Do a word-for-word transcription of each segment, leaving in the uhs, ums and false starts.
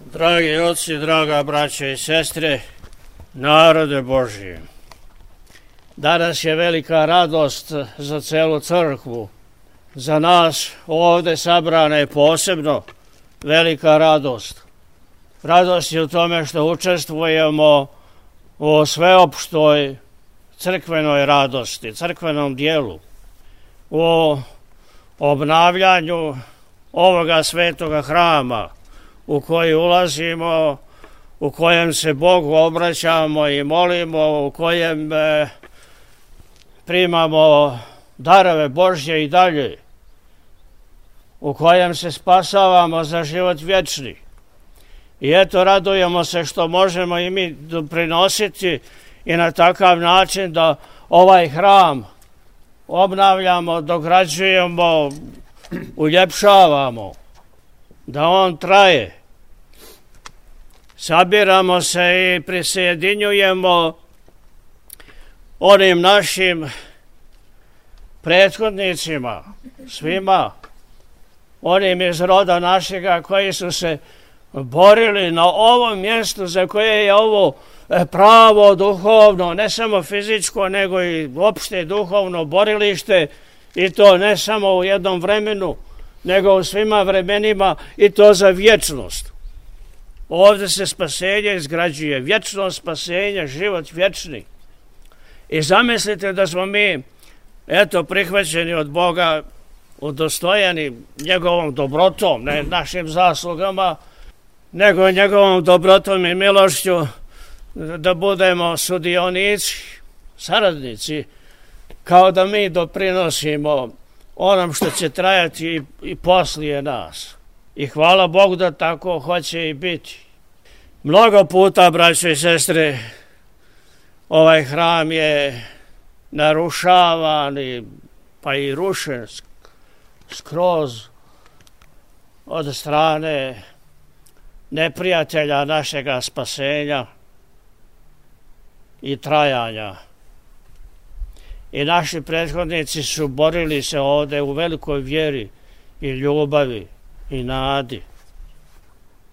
Dragi oci, draga braća i sestre, narode Božji, danas je velika radost za celu crkvu. Za nas ovde sabrane posebno velika radost. Radost je u tome što učestvujemo u sveopštoj crkvenoj radosti, crkvenom dijelu, u obnavljanju ovoga svetoga hrama u koji ulazimo, u kojem se Bogu obraćamo i molimo, u kojem e, primamo darove Božje i dalje, u kojem se spasavamo za život vječni. I eto, radujemo se što možemo i mi doprinositi i na takav način da ovaj hram obnavljamo, dograđujemo, uljepšavamo, da on traje. Sabiramo se i prisjedinjujemo onim našim prethodnicima, svima, onim iz roda našega koji su se borili na ovom mjestu za koje je ovo pravo duhovno, ne samo fizičko, nego i opšte duhovno borilište, i to ne samo u jednom vremenu, nego u svima vremenima, i to za vječnost. Ovdje se spasenje izgrađuje, vječno spasenje, život vječni. I zamislite da smo mi, eto, prihvaćeni od Boga, udostojeni njegovom dobrotom, ne našim zaslugama, nego njegovom dobrotom i milošću, da budemo sudionici, saradnici, kao da mi doprinosimo onom što će trajati i, i poslije nas. I hvala Bogu da tako hoće i biti. Mnogo puta, braćo i sestre, ovaj hram je narušavan i, pa i rušen skroz od strane neprijatelja našega spasenja i trajanja. I naši prethodnici su borili se ovdje u velikoj vjeri i ljubavi i nadi.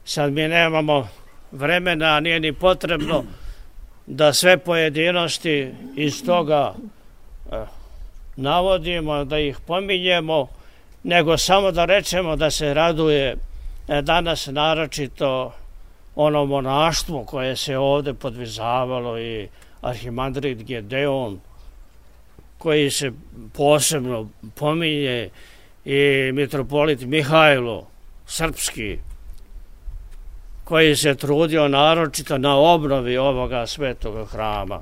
Sad mi nemamo vremena, nije ni potrebno da sve pojedinosti iz toga eh, navodimo, da ih pominjemo, nego samo da rečemo da se raduje eh, danas naročito ono monaštvo koje se ovdje podvizavalo i arhimandrit Gedeon, koji se posebno pominje, i mitropolit Mihajlo Srpski, koji se trudio naročito na obnovi ovoga svetoga hrama.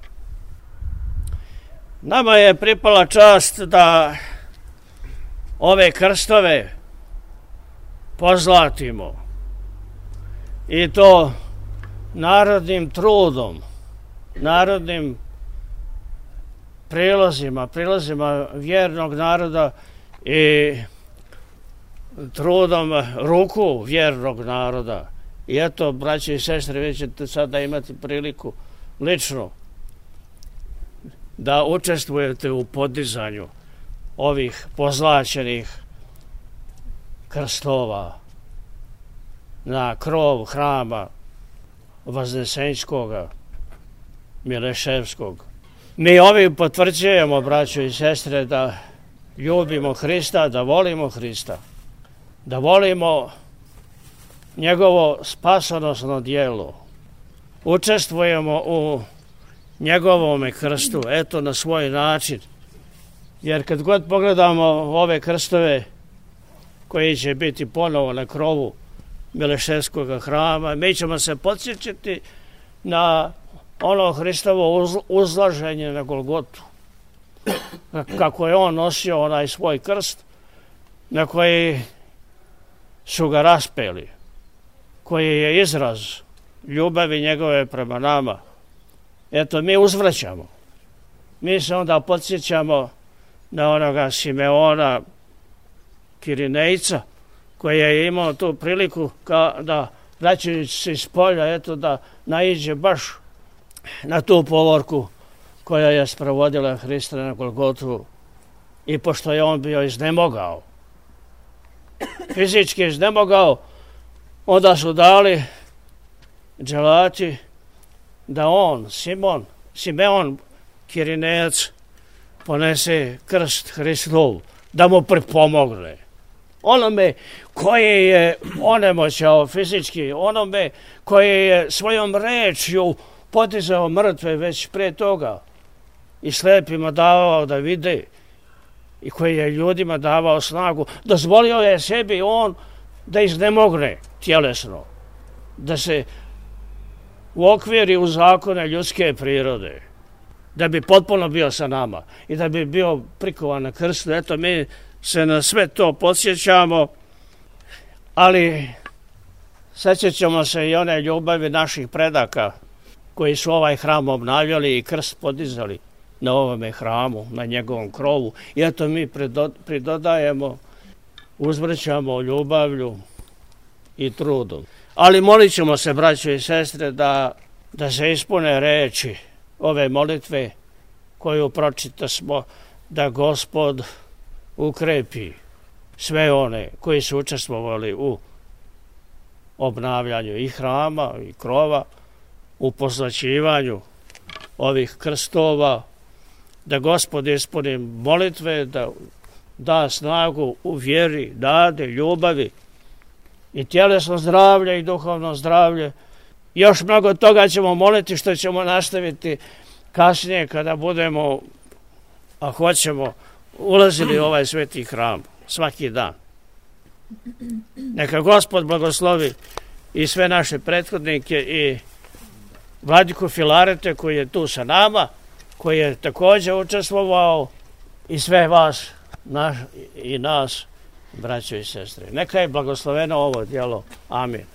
Nama je pripala čast da ove krstove pozlatimo, i to narodnim trudom, narodnim prilozima, prilozima vjernog naroda i trudom ruku vjernog naroda. I eto, braći i sestre, vi ćete sada imati priliku lično da učestvujete u podizanju ovih pozlaćenih krstova na krov hrama Vaznesenjskoga, Mileševskog. Mi ovim potvrđujemo, braćo i sestre, da ljubimo Hrista, da volimo Hrista, da volimo njegovo spasonosno djelo. Učestvujemo u njegovome krstu, eto, na svoj način. Jer kad god pogledamo ove krstove koji će biti ponovo na krovu Mileševskog hrama, mi ćemo se podsjećati na ono Hristovo uzlaženje na Golgotu. Kako je on nosio onaj svoj krst na koji su ga raspeli, koji je izraz ljubavi njegove prema nama. Eto, mi uzvraćamo. Mi se onda podsjećamo na onoga Simeona Kirinejca, koji je imao tu priliku da, vraćajući se iz polja, eto, da naiđe baš na tu povorku koja je sprovodila Hrista na Golgotu, i pošto je on bio iznemogao, fizički iznemogao, onda su dali dželati da on, Simon, Simeon Kirinejac, ponese krst Hristov, da mu pripomogne. Onome koji je onemoćao fizički, onome koji je svojom rečju podizao mrtve već pre toga i slepima davao da vide i koji je ljudima davao snagu, dozvolio je sebi on da iznemogne tjelesno, da se uokviri u zakone ljudske prirode, da bi potpuno bio sa nama i da bi bio prikovan na krstu. Eto, mi se na sve to podsjećamo, ali sjećamo se i one ljubavi naših predaka koji su ovaj hram obnavljali i krst podizali na ovome hramu, na njegovom krovu. I eto, mi pridodajemo, uzvrćamo ljubavlju i trudom. Ali molit ćemo se, braćo i sestre, da, da se ispune reči ove molitve koju pročita smo, da Gospod ukrepi sve one koji su učestvovali u obnavljanju i hrama i krova, u pozlaćivanju ovih krstova, da Gospod ispuni molitve, da da snagu u vjeri, nade, ljubavi i tjelesno zdravlje i duhovno zdravlje. Još mnogo toga ćemo moliti, što ćemo nastaviti kasnije kada budemo, a hoćemo, ulazili u ovaj sveti hram svaki dan. Neka Gospod blagoslovi i sve naše prethodnike i vladiku Filarete koji je tu sa nama, koji je također učestvovao, i sve vas naš, i nas, braćo i sestre. Neka je blagosloveno ovo djelo. Amin.